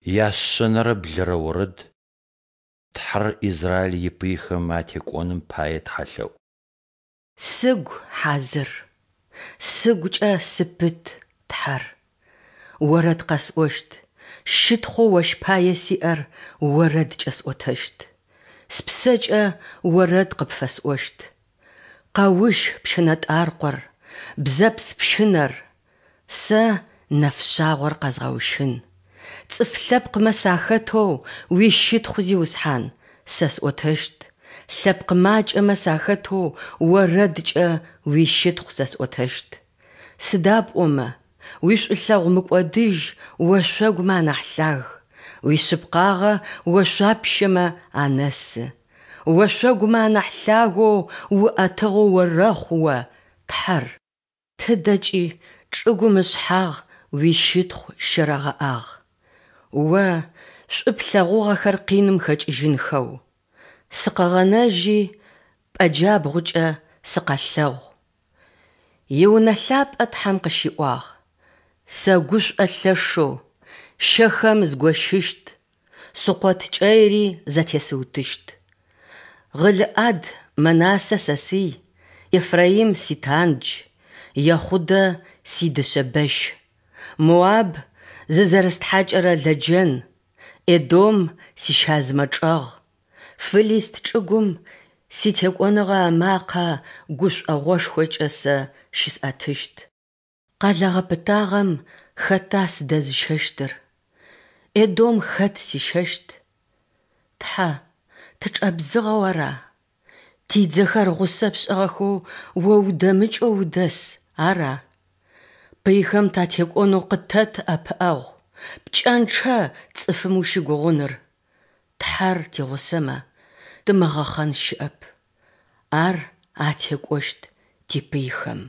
Яшъэнэрэ блырэ орэд Тхьэр Израил ипыйхэм атекӏоным пае тхьэлъэӏу. Сыгу хьазыр, сыгукӏэ сыпыт, Тхьэр. Орэд къэсӏощт, щытхъоу Ощ пае сиӏэр орэдкӏэ сӏотэщт. Спсэкӏэ орэд къыпфэсӏощт. Къэущ пщынэтӏаркъор, бзэпс пщынэр, Сэ нэфшъагъор къэзгъэущын. Цӏыф лъэпкъмэ сахэтэу уищытхъу, Зиусхьан, сэ сӏотэщт, лъэпкъ макӏэмэ сахэтэу орэдкӏэ уищытхъу сэ сӏотэщт. Сыда пӏомэ, уишӏулъэгъу мыкӏодыжь ошъогумэ анахь лъаг, уишъыпкъагъэ ошъуапщэмэ анэсы. Ошъогумэ анахь лъагэу уӏэтыгъэу орэхъу О, Тхьэр! Тыдэкӏи чӏыгум ышъхьагъ уищытхъу щэрэгъэӏагъ, О шӏу плъэгъугъэхэр къиным хэкӏыжьынхэу. Сыкъэгъэнэжьи, пӏэ джабгъукӏэ сыкъэлъэгъу. Иунэ лъапӏэ Тхьэм къыщиӏуагъ, Сэгушӏо лъэшэу, Щэхэм згощыщт, Сукъот кӏэйри зэтесыутыщт. Гъылыӏад Мэнасэ сэсый, Ефраим ситандж, Ехъудэ сидышъэ бэщ. Моаб зызэрыстхьакӏырэ лэджэн, Эдом сищазымэ чӏэгъ. Фылист чӏыгум ситекӏоныгъэ ымакъэ гушӏогъошхокӏэ сэ щысӏэтыщт. Къэлэ гъэпытагъэм хэта сыдэзыщэщтыр? Эдом хэт сищэщт? Тхьэ, тычӏэбдзыгъэу ара? Тидзэхэр гъусэ пшӏыгъэхэу О удэмыкӏэу удэс, ара? Пыйхэм татекӏонэу къытэт ӏэпыӏэгъу, пкӏэнчъэ цӏыфым ущыгугъыныр. Тхьэр тигъусэмэ, тымыгъэхъэн щыӏэп. Ар атекӏощт типыйхэм.